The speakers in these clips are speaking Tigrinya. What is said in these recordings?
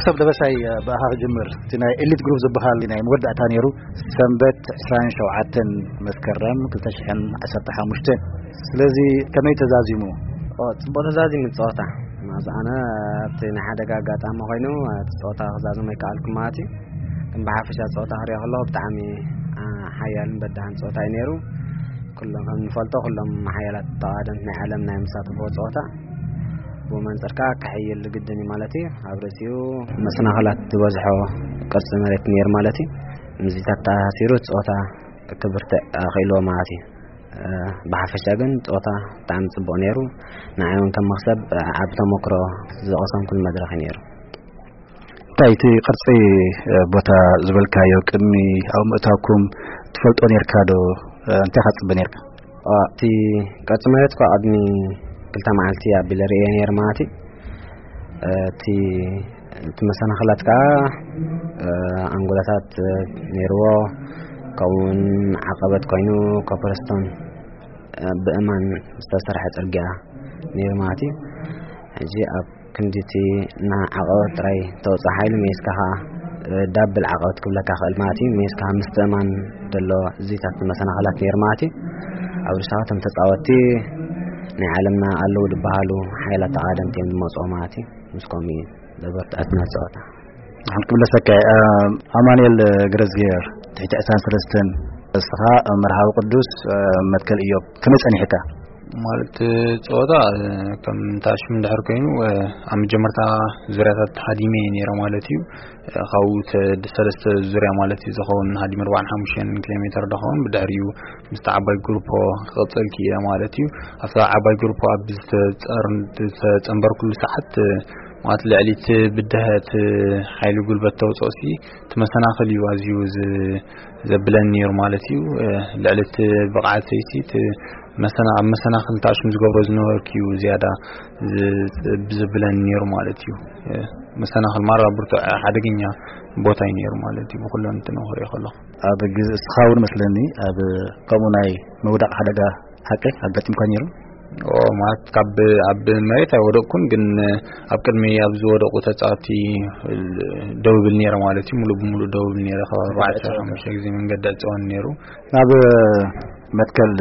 ሰብ ደበሳይ፣ ብኣኻ ክጅምር። እቲ ናይ ኤሊት ግሩፕ ዝበሃል ናይ መወዳእታ ነይሩ፣ ሰንበት ዕስራን ሸውዓተን መስከረም ክልተ ሽሕን ዓሰርተ ሓሙሽተን። ስለዚ ከመይ ተዛዚሙ? ኦ፣ ጽቡቕ ተዛዚሙ ጸወታ። ማዝ ኣነ ኣብቲ ናይ ሓደጋ ኣጋጣሚ ኮይኑ፣ እቲ ጸወታ ክዛዝም ኣይከኣልኩ ማለት እዩ። ግን ብሓፈሻ ጸወታ ክሪኦ ከለኹ ብጣዕሚ፣ ኣ፣ ሓያልን በዳህን ጸወታ እዩ ነይሩ። ኩሎም ከም ንፈልጦ፣ ኩሎም ሓያላት ተቓደምቲ ናይ ዓለም ናይ መሳተፍዎ ጸወታ። ብኡ መንጽር ከኣ ክሕይል ግድን እዩ ማለት እዩ። ኣብ ርእሲኡ መሰናኽላት ዝበዝሖ ቅርጺ መሬት ነይሩ ማለት እዩ። ምስዚታት ተኣሳሲሩ ጸወታ ክብርትዕ ኣኽኢልዎ ማለት እዩ። እ፣ ብሓፈሻ ግን ጸወታ ብጣዕሚ ጽቡቕ ነይሩ። ንዓይ እውን ከም መኽሰብ ዓቢ ተመክሮ ዝቐሰምኩሉ መድረኽ እዩ ነይሩ። እንታይ እቲ ቅርጺ፣ እ፣ ቦታ ዝበልካዮ ቅድሚ ኣብ ምእታውኩም ትፈልጦ ነርካ ዶ? እ፣ እንታይ ኢኻ ትጽበ ነርካ? ኦ፣ እቲ ቅርጺ መሬት እኳ ቅድሚ ክልተ መዓልቲ ኣቢለ ርእየ ነይረ ማለት እዩ። እ፣ እቲ፣ እቲ መሰናኽላት ከኣ፣ እ፣ ኣንጎላታት፣ እ፣ ነይርዎ፣ ከምኡውን ዓቐበት ኮይኑ ኮፐርስቶን፣ እ፣ ብእማን ዝተሰርሐ ጽርግያ ነይሩ ማለት እዩ። ሕጂ ኣብ ክንዲ እቲ ንዓቐበት ጥራይ ተውጽእ ሓይሊ ሜስካ ኸኣ፣ እ፣ ዳብል ዓቐበት ክብለካ ክእል ማለት እዩ። ሜስካ ምስቲ እማን ዘሎ እዚታት መሰናኽላት ነይሩ ማለት እዩ። ኣብ ርእስኻ እቶም ተጻወትቲ ናይ ዓለምና ኣለዉ ዝበሃሉ ሓይላት ተቓደምቲ እዮም ዝመጽኡ ማለት እዩ። ምስ ከምኡ እዩ ዘበርትዐትና ጸወታ። ንሓን ክምለሰካ እየ። እ፣ ኣማኑኤል ገረዝግሄር፣ ትሕቲ ዕስራን ሰለስተን፣ እስኻ መርሃዊ ቅዱስ፣ እ፣ መትከል እዮብ፣ ከመይ ጸኒሕካ? ማለት ጸወታ፣ እ፣ ከም ታሽም እንድሕር ኮይኑ፣ እ፣ ኣብ መጀመርታ ዙርያታት ሃዲመ እየ ነይረ ማለት እዩ። እ፣ ካብኡ ተ-፣ ሰለስተ ዙርያ ማለት እዩ ዝኸውን ሃዲመ ኣርባዓን ሓሙሽተን ኪሎ ሜተር ዝኸውን፣ ብድሕሪኡ ምስቲ ዓባይ ግሩፖ ክቕጽል ክኢለ ማለት እዩ። ኣብታ ዓባይ ግሩፖ ኣብ ዝተጸር-፣ ዝተጸንበርኩሉ ሰዓት፣ እ፣ ማለት ልዕሊ እቲ ብድሀት ሓይሊ ጉልበት ተውጽኦሲ እቲ መሰናኽል እዩ ኣዝዩ ዝ-፣ ዘብለኒ ነይሩ ማለት እዩ። እ፣ ልዕሊ እቲ ብቕዓተይሲ እቲ መሰና-፣ ኣብ መሰናኽል ታሽም ዝገብሮ ዝነበርኩ እዩ ዝያዳ ዝ-፣ ብዘብለኒ ነይሩ ማለት እዩ። እ፣ መሰናኽል ማራ ብርቱዕ ሓደገኛ ቦታ እዩ ነይሩ ማለት እዩ፣ ብኩለን እንትን ክሪኦ ከለኹ። ኣብ ግዜ እስኻ እውን መስለኒ ኣብ ከምኡ ናይ ምውዳቕ ሓደጋ ሓቂ ኣጋጢምካ ነይሩ? ኦ፣ ማለት ካብ ኣብ መሬት ኣይወደቅኩን፣ ግን ኣብ ቅድሚ ኣብ ዝወደቁ ተጻወቲ ደው ብል ነይረ ማለት እዩ። ሙሉእ ብሙሉእ ደው ብል ነይረ። ካብ ኣርባዕተ ሓሙሽተ ግዜ መንገዲ ዕጸወን ነይሩ። ናብ መትከል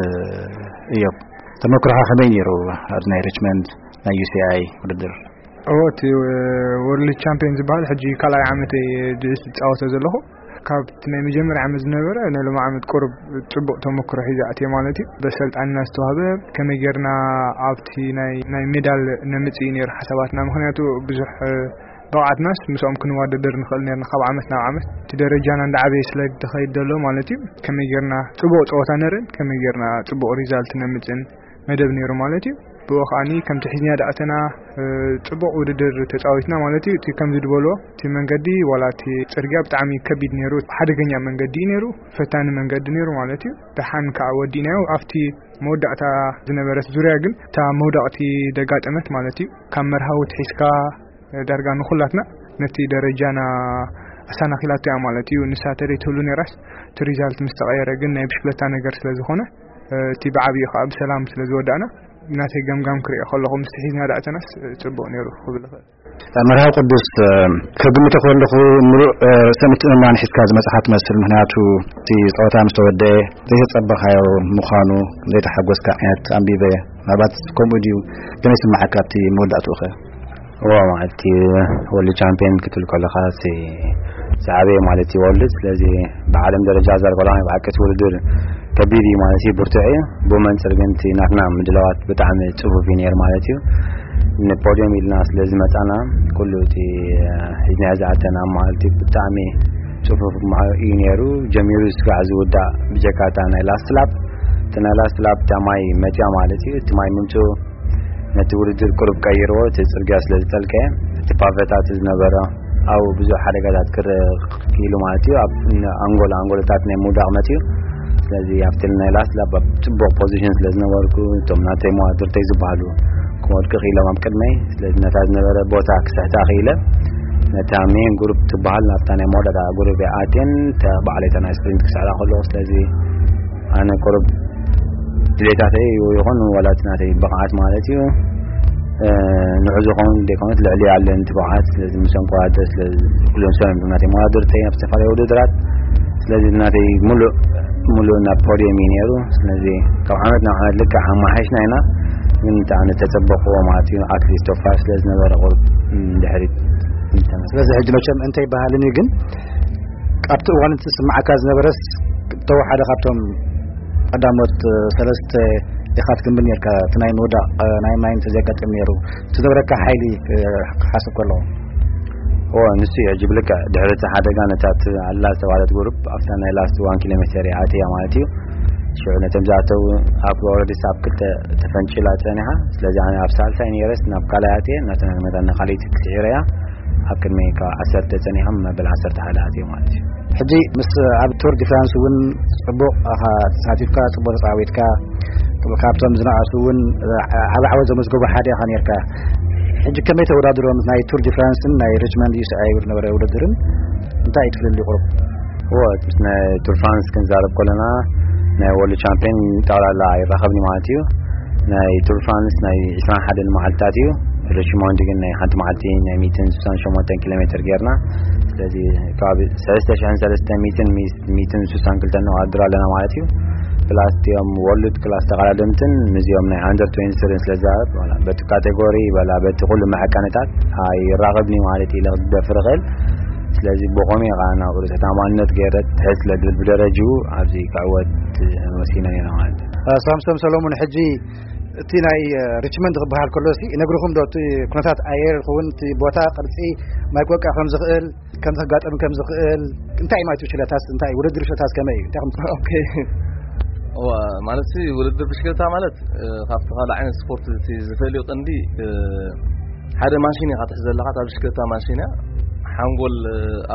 እዮም። ተመክሮኻ ከመይ ነይሩ ኣብዚ ናይ ሪችመንድ ናይ ዩ ሲ ኣይ ውድድር? ኦ፣ እቲ ወርልድ ቻምፒዮን ዝበሃል ሕጂ ካልኣይ ዓመተይ ዝጻወቶ ዘለኹ። ካብቲ ናይ መጀመርያ ዓመት ዝነበረ ናይ ሎሚ ዓመት ቁሩብ ጽቡቕ ተመክሮ ሒዘ ኣትየ ማለት እዩ። በሰልጣንና ዝተዋህበ ከመይ ጌርና ኣብቲ ናይ፣ ናይ ሜዳል ነምጽእ እዩ ነይሩ ሓሳባትና። ምኽንያቱ ብዙሕ፣ እ፣ ብቕዓትናስ ምስኦም ክንወዳደር ንኽእል ነርና ካብ ዓመት ናብ ዓመት። እቲ ደረጃና እንዳዓበየ ስለ ዝኸይድ ዘሎ ማለት እዩ። ከመይ ጌርና ጽቡቕ ጸወታ ነርእን ከመይ ጌርና ጽቡቕ ሪዛልት ነምጽእን መደብ ነይሩ ማለት እዩ። ብኡ ከኣኒ ከምቲ ሒዝና ደኣተና፣ እ፣ ጽቡቕ ውድድር ተጻዊትና ማለት እዩ። እቲ ከምዚ ዝበሎ እቲ መንገዲ ዋላ እቲ ጽርግያ ብጣዕሚ ከቢድ ነይሩ፣ ሓደገኛ መንገዲ እዩ ነይሩ፣ ፈታኒ መንገዲ ነይሩ ማለት እዩ። ደሓን ከኣ ወዲእናዮ። ኣብቲ መወዳእታ ዝነበረት ዙርያ ግን እታ መውዳቕቲ ደጋጠመት ማለት እዩ። ካብ መርሃዊ ትሒዝካ ዳርጋ ንኹላትና ነቲ ደረጃና ኣሰናኺላቶ እያ ማለት እዩ። ንሳ ተደይ ትህሉ ነይራስ እቲ ሪዛልት ምስ ተቐየረ ግን ናይ ብሽክለታ ነገር ስለ ዝኾነ፣ እ፣ እቲ ብዓብዩ ከኣ ብሰላም ስለ ዝወዳእና ናተይ ገምጋም ክሪኦ ከለኹ ምስቲ ሒዝና ዳእተናስ፣ እ፣ ጽቡቕ ነይሩ ክብል እኽእል። መርሃዊ ቅዱስ፣ እ፣ ከግምቶ ከለኹ ምሉእ፣ እ፣ ርእሰ ምትእምማን ሒዝካ ዝመጽኻ ትመስል። ምኽንያቱ እቲ ጸወታ ምስ ተወደአ ዘይተጸበኻዮ ምዃኑ ዘይተሓጎስካ ዓይነት ኣንቢበ። ምናልባት ከምኡ ድዩ? ከመይ ስምዓካ ኣብቲ መወዳእትኡ ኸ? እዎ፣ ማለት እቲ ወርልድ ቻምፒዮን ክትብል ከለኻ እቲ ዝዓበየ ማለት እዩ ወርልድ። ስለዚ ብዓለም ደረጃ ዘርበላ ናይ ብሓቂ እቲ ውድድር ከቢድ እዩ ማለት እዩ፣ ብርቱዕ እዩ። ብኡ መንጽር ግን እቲ ናትና ምድላዋት ብጣዕሚ ጽፉፍ እዩ ነይሩ ማለት እዩ። ንፖድዮም ኢልና ስለ ዝመጻና ኩሉ እቲ ሒዝናዮ ዝኣተና ማለት እዩ ብጣዕሚ ጽፉፍ ማ-፣ እዩ ነይሩ። ጀሚሩ ስጋዕ ዝውዳእ ብጀካ እታ ናይ ላስት ላፕ፣ እቲ ናይ ላስት ላፕ እታ ማይ መጽያ ማለት እዩ። እቲ ማይ ምምጽኡ ነቲ ውድድር ቁሩብ ቀይርዎ፣ እቲ ጽርግያ ስለ ዝጠልቀየ፣ እቲ ፓቨታት ዝነበረ ኣብኡ ብዙሕ ሓደጋታት ክረ-፣ ክኢሉ ማለት እዩ። ኣብ ኣንጎሎ፣ ኣንጎሎታት ናይ ምውዳቕ መጽዩ። ስለዚ ኣብቲ ናይ ላስት ላፕ ኣብ ጽቡቕ ፖዚሽን ስለ ዝነበርኩ፣ እቶም ናተይ መዋድርተይ ዝበሃሉ ክወድቁ ክኢሎም ኣብ ቅድመይ። ስለዚ ነታ ዝነበረ ቦታ ክስሕታ ክኢለ፣ ነታ ሜን ግሩፕ ትበሃል ናብታ ናይ መወዳእታ ግሩፕ እየ ኣትየን፣ እታ ባዕለይ እታ ናይ ስፕሪንት ክስሕታ ከለኹ፣ ስለዚ ኣነ ቁሩብ ድሌታተይ ይኹን ዋላ እቲ ናተይ ብቕዓት ማለት እዩ፣ ንዑ ዝኾን ደይኮነት ልዕሊ ያለን ትብዓት። ስለዚ ምሰን ከዋደ ስለዚ ኩሎም ሰላም ናተይ መዋድርተይ ኣብ ዝተፈላለዩ ውድድራት። ስለዚ ናተይ ሙሉእ ሙሉእ ናብ ፖዲየም እዩ ነይሩ። ስለዚ ካብ ዓመት ናብ ዓመት ልክዕ ኣማሓይሽና ኢና። ግን እንታይ ዓይነት ተጸበቕዎ ማለት እዩ ኣትሊስት ቶፋ ስለ ዝነበረ ቁርብ ድሕሪት። ስለዚ ሕጂ መቸም እንታይ ይበሃልን እዩ ግን ኣብቲ እዋን እቲ ስምዓካ ዝነበረስ ተወሓደ ካብቶም ቀዳሞት ሰለስተ ኢኻ ትግምት ነርካ። እቲ ናይ ምውዳቕ ናይ ማይን ተዘጋጥም ነይሩ እቲ ዝነበረካ ሓይሊ ክሓስብ ከለዎ ኦ ንሱ እዩ ሕጂ ብልክዕ ድሕሪ እቲ ሓደጋ ነታ ኣላ ዝተባለት ጉሩፕ ኣብታ ናይ ላስት ዋን ኪሎ ሜተር እያ ኣትያ ማለት እዩ። ሽዑ ነቶም ዝኣተው ኣብ ኦረዲስ ኣብ ክልተ ተፈንጭላ ጸኒሓ። ስለዚ ኣነ ኣብ ሳልሳይ ነይረስ ናብ ካልኣይ ኣትየ ናተን መጠን ካልኣይቲ ክስዒረያ ኣብ ቅድሚ ካብ ዓሰርተ ጸኒሖም መበል ዓሰርተ ሓደ ኣትዮም ማለት እዩ። ሕጂ ምስ ኣብ ቱር ዲ ፍራንስ እውን ጽቡቕ ኢኻ ተሳቲፍካ፣ ጽቡቕ ተጻዊትካ፣ ካብቶም ዝነኣሱ እውን ዓቢ ዓወት ዘመዝገቡ ሓደ ኢኻ ነርካ። ሕጂ ከመይ ተወዳድሮ ምስ ናይ ቱር ዲ ፍራንስን ናይ ሪችመንድ ዩ ሲ ኣይ ዝነበረ ውድድርን እንታይ እዩ ትፍልልዩ ቁሩብ? እወ፣ ምስ ናይ ቱር ፍራንስ ክንዛረብ ከለና ናይ ወርልድ ቻምፒዮን ጠቕላላ ኣይራኸብን ማለት እዩ። ናይ ቱር ፍራንስ ናይ ዕስራን ሓደን መዓልታት እዩ። ሪችሞንድ ግን ናይ ሓንቲ መዓልቲ ናይ ሚእትን ስሳን ሸሞንተን ኪሎ ሜትር ጌርና። ስለዚ ከባቢ ሰለስተ ሽሕን ሰለስተ ሚእትን ሚእትን ስሳን ክልተን ንዋድር ኣለና ማለት እዩ። ፕላስ እቲኦም ወርልድ ክላስ ተቐዳደምትን ምስዚኦም ናይ ኣንደር ትዌንቲ ስርን ስለ ዝዛረብ በቲ ካቴጎሪ በላ በቲ ኩሉ መዐቀንታት ኣይራኸብኒ ማለት ኢለ ክደፍር እኽእል። ስለዚ ብኸመይ ከዓ ናብ ርእሰ ተኣማንነት ገይረ ትሕት ስለ ዝብል ብደረጅኡ ኣብዚ ክዕወት ወሲነ ነይረ ማለት እዩ። ሳምሶም ሰሎሙን ሕጂ እቲ ናይ ሪችመንድ ክበሃል ከሎ ሲ ነግርኹም ዶ እቲ ኩነታት ኣየር ይኸውን እቲ ቦታ ቅርጺ ማይ ክወቅዕ ከም ዝኽእል ከም ዝጋጠም ከም ዝኽእል እንታይ ማለት ሽለታስ እንታይ ውድድር ሽለታስ ከመይ እዩ እንታይ ከም ኦኬ ማለት ውድድር ብሽክለታ ማለት ካብቲ ካልእ ዓይነት ስፖርት ዝፈልዩ ቀንዲ ሓደ ማሽን ኢኻ ትሕዝ ዘለኻ። እታ ብሽክለታ ማሽን እያ። ሓንጎል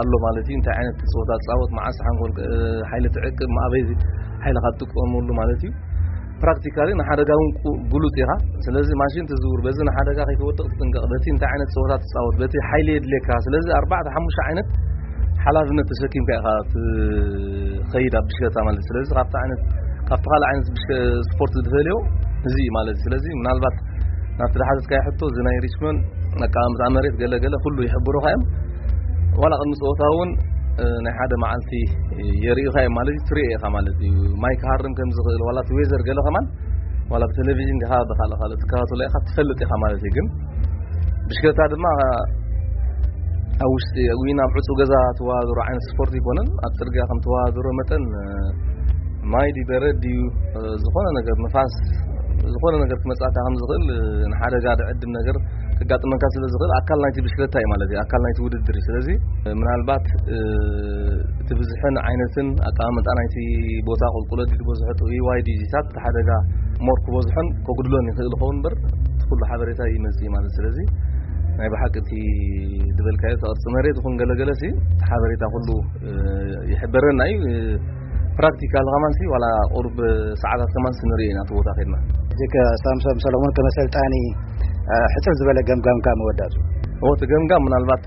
ኣሎ ማለት እዩ። እንታይ ዓይነት ጸወታ ትጻወት፣ መዓስ ሓንጎል ሓይሊ ትዕቅብ፣ ኣበይ ሓይልኻ ትጥቀመሉ ማለት እዩ። ፕራክቲካሊ ንሓደጋ እውን ብሉጽ ኢኻ። ስለዚ ማሽን ትዝውር፣ በዚ ንሓደጋ ከይትወድቕ ትጥንቀቕ፣ በቲ እንታይ ዓይነት ጸወታ ትጻወት፣ በቲ ሓይሊ የድልየካ። ስለዚ ኣርባዕተ ሓሙሽተ ዓይነት ሓላፍነት ተሰኪምካ ኢኻ ትኸይድ ኣብ ብሽክለታ ማለት። ስለዚ ካብቲ ዓይነት ካብቲ ካልእ ዓይነት ስፖርት ዝፈልዮ እዚ እዩ ማለት። ስለዚ ምናልባት ናብቲ ዝሓተትካዮ ሕቶ እዚ ናይ ሪችመንድ ኣቀማምጣ መሬት ገለ ገለ ኩሉ ይሕብሩኻ እዮም። ዋላ ቅድሚ ፀወታ እውን ናይ ሓደ መዓልቲ የርእዩኻ እዮም ማለት እዩ። ትሪኦ ኢኻ ማለት እዩ። ማይ ክሃርም ከም ዝኽእል ዋላ እቲ ዌዘር ገለ ከማን ዋላ ብቴሌቪዥን ዲኻ ብካልእ ካልእ ትከታተሎ ኢኻ ትፈልጥ ኢኻ ማለት እዩ። ግን ብሽክለታ ድማ ኣብ ውሽጢ ወይ ናብ ዕፁ ገዛ ትወዳደሮ ዓይነት ስፖርት ይኮነን። ኣብ ፅርግያ ከም ትወዳደሮ መጠን ማይ ድዩ በረድ ድዩ ዝኾነ ነገር ንፋስ ዝኾነ ነገር ክመፃካ ከም ዝኽእል ንሓደጋ ድዕድም ነገር ክጋጥመካ ስለ ዝኽእል ኣካል ናይቲ ብሽክለታ እዩ ማለት እዩ። ኣካል ናይቲ ውድድር እዩ። ስለዚ ምናልባት እቲ ብዝሕን ዓይነትን ኣቀማምጣ ናይቲ ቦታ ቁልቁለት ድዩ ዝበዝሖ ጥውይዋይ ድዩ ዚታት እቲ ሓደጋ ሞር ክበዝሖን ከጉድሎን ይኽእል ይኸውን እምበር እቲ ኩሉ ሓበሬታ ይመጽእ ማለት። ስለዚ ናይ ብሓቂ እቲ ዝበልካዮ እቲ ቅርጺ መሬት ይኹን ገለገለ ሲ እቲ ሓበሬታ ኩሉ ይሕበረና እዩ። ፕራክቲካል ከማን ሲ ዋላ ቁሩብ ሰዓታት ከማን ሲ ንርኢ ኢና እቲ ቦታ ከድና። ጅክ ሳምሶም ሰሎሞን ከመሰልጣኒ ሕጽር ዝበለ ገምጋምካ መወዳቱ እቲ ገምጋም ምናልባት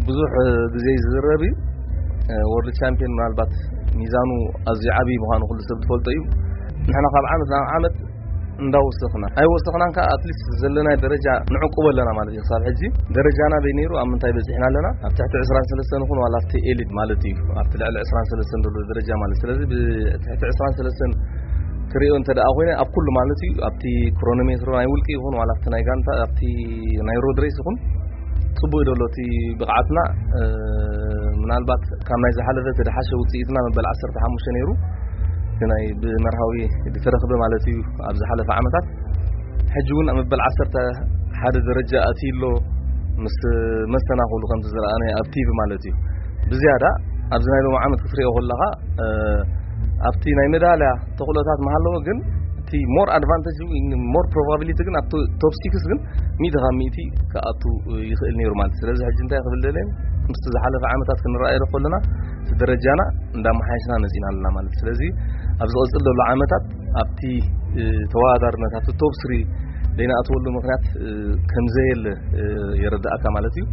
ብዙሕ ግዜ ዝዝረብ እዩ። ወርልድ ቻምፒዮን ምናልባት ሚዛኑ ኣዝዩ ዓብዪ ምዃኑ ኩሉ ሰብ ዝፈልጦ እዩ። ንሕና ካብ ዓመት ናብ ዓመት እንዳወሰኽና ኣይወሰኽናን ከ ኣትሊስት ዘለናይ ደረጃ ንዕቁቦ ኣለና ማለት እዩ። ክሳብ ሕጂ ደረጃና በይ ነይሩ ኣብ ምንታይ በፂሕና ኣለና? ኣብ ትሕቲ ዕስራን ሰለስተን ይኹን ዋላ ኣብቲ ኤሊት ማለት እዩ ኣብቲ ልዕሊ ዕስራን ሰለስተን ዘሎ ደረጃ ማለት። ስለዚ ብትሕቲ ዕስራን ሰለስተን ክሪኦ እንተ ደኣ ኮይነ ኣብ ኩሉ ማለት እዩ ኣብቲ ክሮኖሜትሮ ናይ ውልቂ ይኹን ዋላ ኣብቲ ናይ ጋንታ ኣብቲ ናይ ሮድ ሬስ ይኹን ጽቡቅ እዩ ዘሎ እቲ ብቕዓትና። ምናልባት ካብ ናይ ዝሓለፈ ተደሓሸ ውፅኢትና መበል ዓሰርተ ሓሙሽተ ነይሩ። ናይ ብመርሃዊ ዝተረኽበ ማለት እዩ ኣብ ዝሓለፈ ዓመታት። ሕጂ እውን ኣብ መበል ዓሰርተ ሓደ ደረጃ ኣትዩ ኣሎ ምስ መስተናኽሉ ከምቲ ዝረኣናዮ ኣብ ቲቪ ማለት እዩ። ብዝያዳ ኣብዚ ናይ ሎሚ ዓመት ክትሪኦ ከለኻ ኣብቲ ናይ መዳልያ ተኽእሎታት መሃለዎ ግን እቲ ሞር ኣድቫንቴጅ ሞር ፕሮባቢሊቲ ግን ኣብ ቶፕ ሲክስ ግን ሚእቲ ካብ ሚእቲ ክኣቱ ይኽእል ነይሩ ማለት። ስለዚ ሕጂ እንታይ ክብል ደለ ምስቲ ዝሓለፈ ዓመታት ክንረኣዮ ከለና እቲ ደረጃና እንዳመሓየሽና መፂና ኣለና ማለት። ስለዚ ኣብ ዝቐፅል ዘሎ ዓመታት ኣብቲ ተወዳዳርነት ኣብቲ ቶፕ ስሪ ዘይንኣትወሉ ምክንያት ከምዘየለ የረዳእካ ማለት እዩ።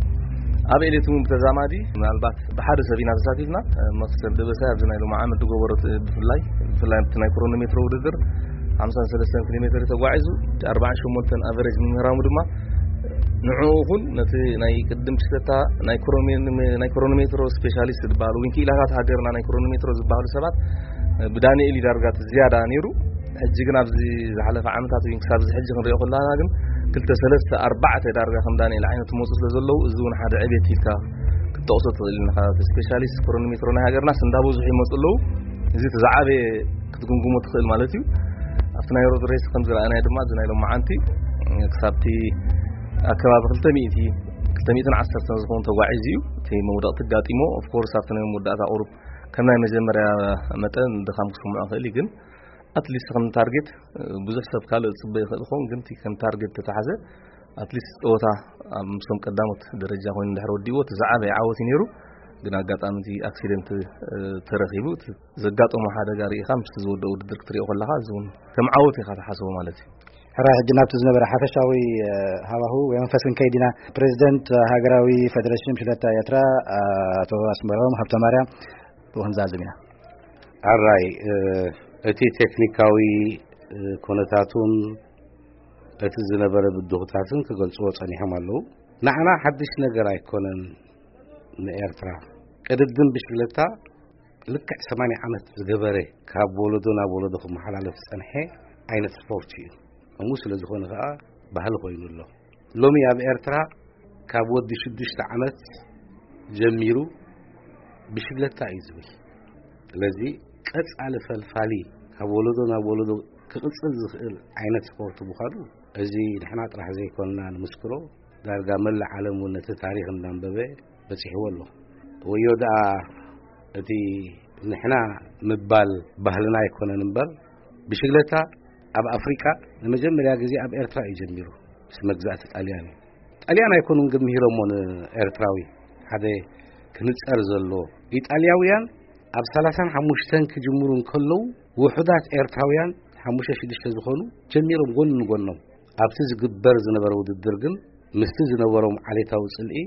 ኣብ ኤሌት እውን ብተዛማዲ ምናልባት ብሓደ ሰብ ኢና ተሳቲፍና። መክሰብ ደበሳይ ኣብዚ ናይ ሎሚ ዓመት ዝገበሮ ብፍላይ ብፍላይ ኣብቲ ናይ ክሮኖሜትሮ ውድድር ሓምሳን ሰለስተን ኪሎ ሜትር ተጓዒዙ ኣርባዓን ሸሞንተን ኣቨሬጅ ምምህራሙ ድማ ንዕኡ ይኹን ነቲ ናይ ቅድም ክሽተታ ናይ ክሮኖሜ-፣ ናይ ክሮኖሜትሮ ስፔሻሊስት ዝበሃሉ ወይ ክኢላታት ሃገርና ናይ ክሮኖሜትሮ ዝበሃሉ ሰባት ብዳንኤል እዩ ዳርጋ እቲ ዝያዳ ነይሩ። ሕጂ ግን ኣብዚ ዝሓለፈ ዓመታት ወይ ክሳብ እዚ ሕጂ ክንሪኦ ከለና ግን ክልተ ሰለስተ ኣርባዕተ ዳርጋ ከም ዳንኤል ዓይነት መፁ ስለ ዘለዉ እዚ እውን ሓደ ዕቤት ኢልካ ክትጠቕሶ ትኽእል ኢኻ። ስፔሻሊስት ክሮኖሜትሮ ናይ ሃገርናስ እንዳበዝሑ ይመፁ ኣለዉ። እዚ እቲ ዝዓበየ ክትግምግሞ ትኽእል ማለት እዩ። ኣብቲ ናይ ሮድ ሬስ ከም ዝረኣናዮ ድማ እዚ ናይ ሎማዓንቲ ክሳብቲ ኣከባቢ ክልተ ሚእቲ፣ ክልተ ሚእትን ዓሰርተን ዝኸውን ተጓዒዙ እዩ። እቲ መውደቕቲ ኣጋጢሞ፣ ኦፍ ኮርስ ኣብቲ ናይ መወዳእታ ቁሩብ ከም ናይ መጀመርያ መጠን ድኻም ክስምዖ ይኽእል እዩ፣ ግን ኣትሊስት ከም ታርጌት ብዙሕ ሰብ ካልእ ዝፅበ ይኽእል ይኸውን፣ ግን እቲ ከም ታርጌት ተተሓዘ ኣትሊስት ፀወታ ኣብ ምስቶም ቀዳሞት ደረጃ ኮይኑ እንድሕር ወዲእዎ እቲ ዝዓበየ ዓወት እዩ ነይሩ። ግን ኣጋጣሚ እቲ ኣክሲደንት ተረኺቡ፣ እቲ ዘጋጠሞ ሓደጋ ርኢኻ ምስቲ ዝወደእ ውድድር ክትሪኦ ከለኻ እዚ እውን ከም ዓወት ኢኻ ትሓስቦ ማለት እዩ። ሕራይ፣ ሕጂ ናብቲ ዝነበረ ሓፈሻዊ ሃዋሁ ወይ መንፈስ ክንከይድ ኢና። ፕሬዚደንት ሃገራዊ ፌደሬሽን ብሽክለታ ኤርትራ ኣቶ ኣስመሮም ሃብተማርያም ብኡ ክንዛዝም ኢና። ኣራይ፣ እቲ ቴክኒካዊ ኩነታቱን እቲ ዝነበረ ብድሆታትን ክገልጽዎ ጸኒሖም ኣለዉ። ንዓና ሓድሽ ነገር ኣይኮነን። ንኤርትራ ቅድድም ብሽክለታ ልክዕ ሰማንያ ዓመት ዝገበረ፣ ካብ ወለዶ ናብ ወለዶ ክመሓላለፍ ዝጸንሐ ዓይነት ስፖርት እዩ። ከምኡ ስለ ዝኾነ ከኣ ባህሊ ኮይኑ ኣሎ። ሎሚ ኣብ ኤርትራ ካብ ወዲ ሽዱሽተ ዓመት ጀሚሩ ብሽግለታ እዩ ዝብል። ስለዚ ቀጻሊ ፈልፋሊ ካብ ወለዶ ናብ ወለዶ ክቕጽል ዝኽእል ዓይነት ስፖርት ምዃኑ እዚ ንሕና ጥራሕ ዘይኮንና ንምስክሮ፣ ዳርጋ መላእ ዓለም እውን ነቲ ታሪኽ እንዳንበበ በጺሕዎ ኣሎ። ወዮ ደኣ እቲ ንሕና ምባል ባህልና ኣይኮነን እምበር፣ ብሽግለታ ኣብ ኣፍሪቃ ንመጀመርያ ግዜ ኣብ ኤርትራ እዩ ጀሚሩ፣ ምስ መግዛእቲ ጣልያን እዩ። ጣልያን ኣይኮኑን ግን ምሂሮሞ ንኤርትራዊ። ሓደ ክንጸር ዘሎ፣ ኢጣልያውያን ኣብ ሰላሳን ሓሙሽተን ክጅምሩ እንከለዉ፣ ውሑዳት ኤርትራውያን ሓሙሽተ ሽዱሽተ ዝኾኑ ጀሚሮም ጎኒ ንጎኖም። ኣብቲ ዝግበር ዝነበረ ውድድር ግን ምስቲ ዝነበሮም ዓሌታዊ ጽልኢ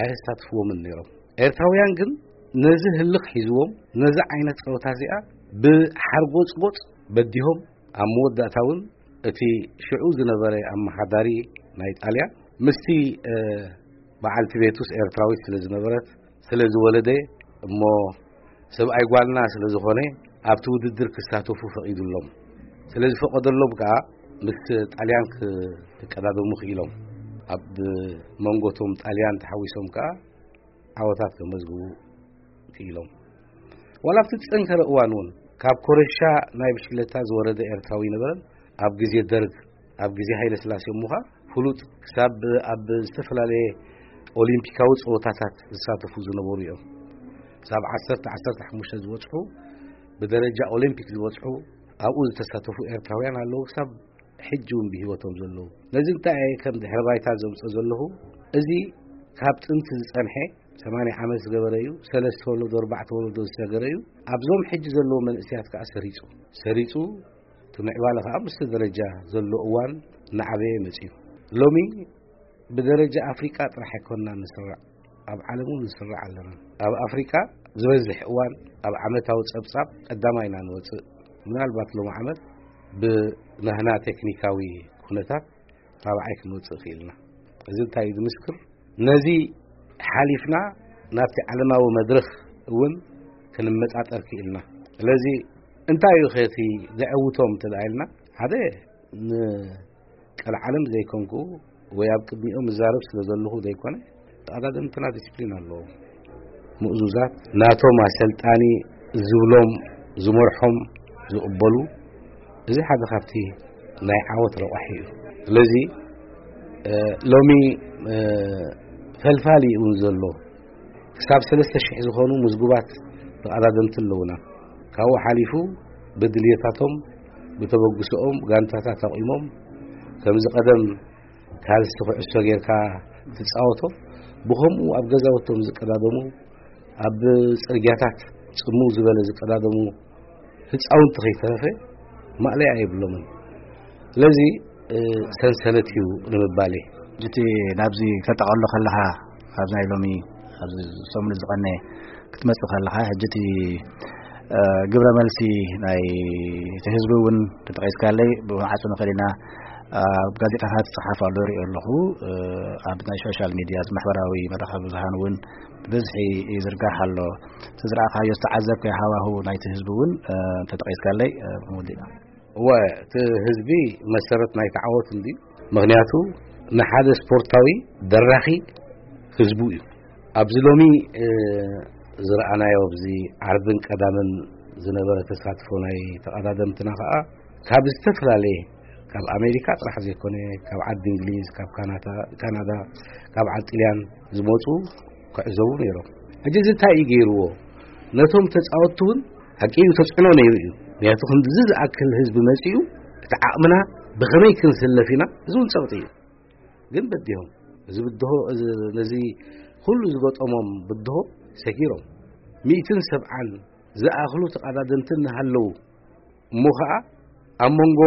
ኣየሳትፍዎምን ነይሮም። ኤርትራውያን ግን ነዚ ህልኽ ሒዝዎም፣ ነዚ ዓይነት ጸወታ እዚኣ ብሓርጎጽጎጽ በዲሆም፣ ኣብ መወዳእታ እውን እቲ ሽዑ ዝነበረ ኣመሓዳሪ ናይ ጣልያን ምስቲ፣ እ፣ በዓልቲ ቤቱስ ኤርትራዊት ስለ ዝነበረት፣ ስለ ዝወለደ፣ እሞ ሰብኣይ ጓልና ስለ ዝኾነ ኣብቲ ውድድር ክሳተፉ ፈቒዱሎም። ስለ ዝፈቐደሎም ከኣ ምስ ጣልያን ክ-፣ ክቀዳደሙ ክኢሎም። ኣብ መንጎቶም ጣልያን ተሓዊሶም ከኣ ዓወታት ከመዝግቡ ክኢሎም። ዋላ ኣብቲ ዝጸንከረ እዋን እውን ካብ ኮረሻ ናይ ብሽክለታ ዝወረደ ኤርትራዊ ነበረን። ኣብ ግዜ ደርግ፣ ኣብ ግዜ ሃይለ ስላሴ እሞ ኸኣ ፍሉጥ፣ ክሳብ ኣብ ዝተፈላለየ ኦሊምፒካዊ ጸወታታት ዝሳተፉ ዝነበሩ እዮም። ክሳብ ዓሰርተ ዓሰርተ ሓሙሽተ ዝበጽሑ፣ ብደረጃ ኦሊምፒክ ዝበጽሑ፣ ኣብኡ ዝተሳተፉ ኤርትራውያን ኣለዉ። ክሳብ ሕጂ እውን ብህይወቶም ዘለዉ። ነዚ እንታይ እየ ከም ድሕረ ባይታ ዘምጽኦ ዘለኹ? እዚ ካብ ጥንቲ ዝጸንሐ፣ ሰማንያ ዓመት ዝገበረ እዩ። ሰለስተ ወለዶ፣ ኣርባዕተ ወለዶ ዝሰገረ እዩ። ኣብዞም ሕጂ ዘለዉ መንእሰያት ከኣ ሰሪጹ፣ ሰሪጹ፣ እቲ ምዕባለ ከኣ ምስቲ ደረጃ ዘሎ እዋን እናዓበየ መጺኡ። ሎሚ ብደረጃ ኣፍሪቃ ጥራሕ ኣይኮንና ንስራዕ፣ ኣብ ዓለም እውን ንስራዕ ኣለና። ኣብ ኣፍሪቃ ዝበዝሕ እዋን ኣብ ዓመታዊ ጸብጻብ ቀዳማይ ኢና ንወጽእ። ምናልባት ሎሚ ዓመት ብናህና ቴክኒካዊ ኩነታት ራብዓይ ክንወጽእ ክኢልና። እዚ እንታይ እዩ ዝምስክር? ነዚ ሓሊፍና ናብቲ ዓለማዊ መድረኽ እውን ክንመጣጠር ክኢልና። ስለዚ እንታይ እዩ ኸቲ ዘዕውቶም እንተ ደኣ ኢልና፣ ሓደ ንቀልዓለም ዘይኮንኩ ወይ ኣብ ቅድሚኦም እዛረብ ስለ ዘለኹ ዘይኮነ፣ ተቐዳደምትና ዲስፕሊን ኣለዎም። ምእዙዛት፣ ናቶም ኣሰልጣኒ ዝብሎም፣ ዝመርሖም ዝቕበሉ፣ እዚ ሓደ ካብቲ ናይ ዓወት ረቋሒ እዩ። ስለዚ፣ እ፣ ሎሚ፣ እ፣ ፈልፋሊ እውን ዘሎ ክሳብ ሰለስተ ሽሕ ዝኾኑ ምዝጉባት ተቐዳደምቲ ኣለዉና። ካብኡ ሓሊፉ ብድልየታቶም፣ ብተበግሶኦም ጋንታታት ኣቑሞም፣ ከምዚ ቀደም ካልሲ ኩዕሶ ጌርካ ትጻወቶ፣ ብኸምኡ ኣብ ገዛውቶም ዝቀዳደሙ፣ ኣብ ጽርግያታት ጽምው ዝበለ ዝቀዳደሙ ህጻውንቲ ከይተረፈ ማእለያ የብሎምን። ስለዚ፣ እ፣ ሰንሰለት እዩ ንምባል እየ። እቲ ናብዚ ከተጠቓሎ ከለኻ፣ ኣብዚ ናይ ሎሚ፣ ኣብዚ ሰሙን ዝቐነ ክትመጽእ ከለኻ፣ ሕጂ እቲ ግብረ መልሲ ናይ እቲ ህዝቢ እውን ተጠቒስካለይ ብዓፁ ንኽእል ኢና። ኣብ ጋዜጣታት ዝፅሓፍ ኣሎ ይሪኦ ኣለኹ። ኣብ ናይ ሶሻል ሚድያ ማሕበራዊ መራኸቢ ብዙሃን እውን ብብዝሒ ይዝርጋሕ ኣሎ። እቲ ዝረኣኻዮ ዝተዓዘብካዮ ሃዋሁ ናይቲ ህዝቢ እውን ተጠቒስካለይ ምውዲና። እወ፣ እቲ ህዝቢ መሰረት ናይቲ ዓወት እንዲ ምክንያቱ ንሓደ ስፖርታዊ ደራኺ ህዝቡ እዩ። ኣብዚ ሎሚ ዝረኣናዮ ኣብዚ ዓርብን ቀዳምን ዝነበረ ተሳትፎ ናይ ተቐዳደምትና ከዓ ካብ ዝተፈላለየ ካብ ኣሜሪካ ጥራሕ ዘይኮነ ካብ ዓዲ እንግሊዝ፣ ካብ ካናዳ፣ ካብ ዓዲ ጥልያን ዝመፁ ክዕዘቡ ነይሮም። ሕጂ እዚ እንታይ እዩ ገይርዎ? ነቶም ተፃወትቲ እውን ሓቂ እዩ ተፅዕኖ ነይሩ እዩ። ምክንያቱ ክንድዚ ዝኣክል ህዝቢ መፂኡ እቲ ዓቕምና ብኸመይ ክንስለፍ ኢና? እዚ እውን ፀቕጢ እዩ። ግን በዲሆም እዚ ብድሆ ነዚ ኩሉ ዝገጠሞም ብድሆ ሰጊሮም ሚእትን ሰብዓን ዝኣኽሉ ተቐዳደምቲ እናሃለዉ እሞ ከዓ ኣብ መንጎ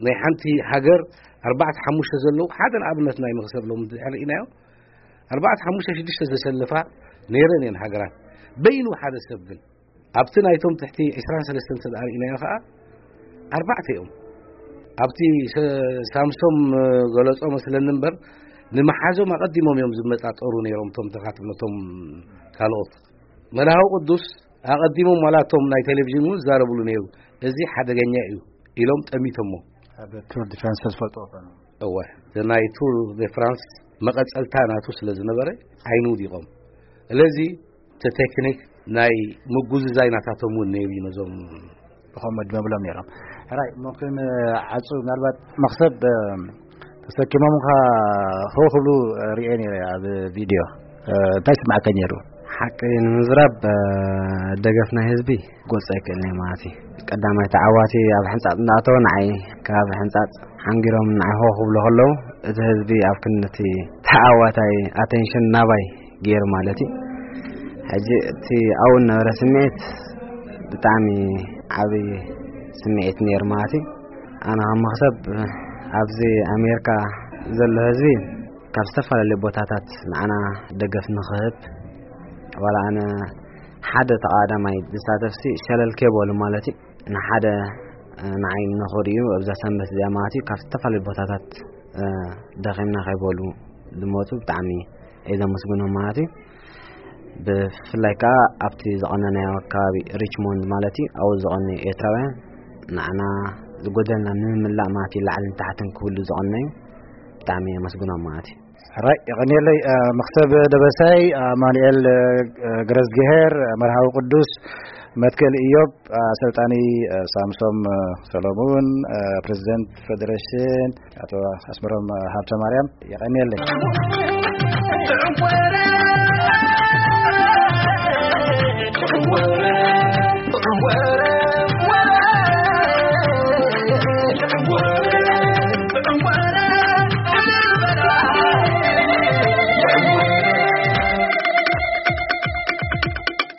ናይ ሓንቲ ሃገር ኣርባዕተ ሓሙሽተ ዘለዉ ሓደ ንኣብነት ናይ መኽሰብ ሎም ርኢናዮ ኣርባዕተ ሓሙሽተ ሽዱሽተ ዘሰልፋ ነይረን እየን ሃገራት በይኑ ሓደ ሰብ ግን ኣብቲ ናይቶም ትሕቲ ዕስራን ሰለስተን እንተ ደኣ ርኢናዮ ከዓ ኣርባዕተ እዮም። ኣብቲ ሳምሶም ገለጾ መስለኒ እምበር ንምሓዞም ኣቐዲሞም እዮም ዝመጣጠሩ ነይሮም እቶም ተኻትብነቶም ካልኦት መርሃዊ ቅዱስ ኣቐዲሞም ዋላ እቶም ናይ ቴሌቪዥን እውን ዝዛረብሉ ነይሩ። እዚ ሓደገኛ እዩ ኢሎም ጠሚቶሞ። ኣብ ቱር ዲ ፍራንስ ዝፈልጥዎ ኮኑ። እወ ናይ ቱር ዲ ፍራንስ መቐጸልታ ናቱ ስለ ዝነበረ ዓይኑ ውዲቖም። ስለዚ እቲ ቴክኒክ ናይ ምጉዝዛይ ናታቶም እውን ነይሩ እዩ ነዞም ብኸምኡ ድመብሎም ነይሮም። ሕራይ እሞ ክንዓፁ ምናልባት መኽሰብ ተሰኪሞምካ ሆ ክብሉ ሪኤ ነይረ ኣብ ቪድዮ እንታይ ስማዕከ ነይሩ? ሓቂ ንምዝራብ ደገፍ ናይ ህዝቢ ጎፀ ኣይክእልን ማለት እዩ። ቀዳማይ ተዓዋቲ ኣብ ሕንፃፅ እንዳእተወ ንዓይ ካብ ሕንፃፅ ሓንጊሮም ንዓይ ሆ ክብሉ ከለዉ እቲ ህዝቢ ኣብ ክንድቲ ተዓዋታይ ኣቴንሽን ናባይ ገይሩ ማለት እዩ። ሕጂ እቲ ኣብኡ ዝነበረ ስምዒት ብጣዕሚ ዓብዪ ስምዒት ነይሩ ማለት እዩ። ኣነ ከም መኽሰብ ኣብዚ ኣሜሪካ ዘሎ ህዝቢ ካብ ዝተፈላለዩ ቦታታት ንዓና ደገፍ ንኽህብ ዋላ ኣነ ሓደ ተቓዳማይ ዝሳተፍሲ ሸለል ከይበሉ ማለት እዩ ንሓደ ንዓይ ንኽርእዩ ኣብዛ ሰንበት እዚኣ ማለት እዩ ካብ ዝተፈላለዩ ቦታታት ደኺምና ከይበሉ ዝመፁ ብጣዕሚ እየ ዘመስግኖም ማለት እዩ። ብፍላይ ከዓ ኣብቲ ዝቐነናዮ ከባቢ ሪችሞንድ ማለት እዩ ኣብኡ ዝቐነዩ ኤርትራውያን ንዓና ዝጎደልና ንምምላእ ማለት እዩ ላዕልን ታሕትን ክብሉ ዝቐነዩ ብጣዕሚ የመስግኖም ማለት እዩ። ሕራይ የቐንየለይ። መኽሰብ ደበሳይ፣ ኣማኑኤል ገረዝግሄር፣ መርሃዊ ቅዱስ፣ መትከል ኢዮብ፣ ኣሰልጣኒ ሳምሶም ሰሎሙን፣ ፕሬዚደንት ፌዴሬሽን ኣቶ ኣስመሮም ሃብተማርያም የቐንየለይ።